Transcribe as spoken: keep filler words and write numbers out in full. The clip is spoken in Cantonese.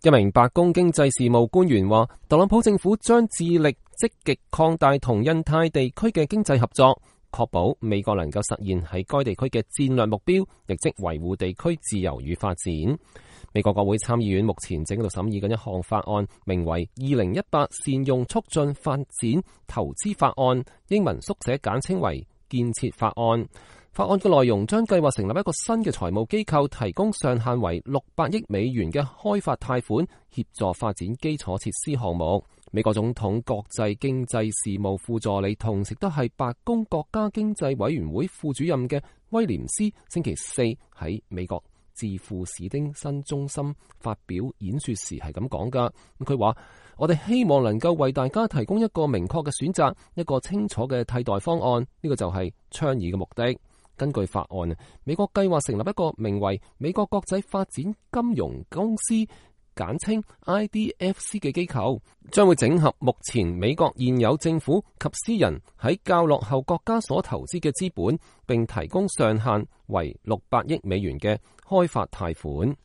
一名白宮經濟事務官員話，特朗普政府將致力積極擴大同印太地區嘅經濟合作，確保美國能夠實現喺該地區嘅戰略目標，亦即維護地區自由與發展。美國國會參議院目前正喺度審議緊一項法案，名為《二零一八善用促進發展投資法案》，英文縮寫簡稱為建設法案。法案嘅內容將計劃成立一個新嘅財務機構，提供上限為六百億美元嘅開發貸款，協助發展基礎設施項目。美國總統國際經濟事務副助理，同時都係白宮國家經濟委員會副主任嘅威廉斯，星期四喺美國智庫史丁森中心發表演說時係咁講噶。佢話：我哋希望能夠為大家提供一個明確嘅選擇，一個清楚嘅替代方案。呢個就係倡議嘅目的。根據法案，美國計劃成立一個名為美國國際發展金融公司，簡稱 I D F C 嘅機構，將會整合目前美國現有政府及私人喺較落後國家所投資嘅資本，並提供上限為六百億美元嘅開發貸款。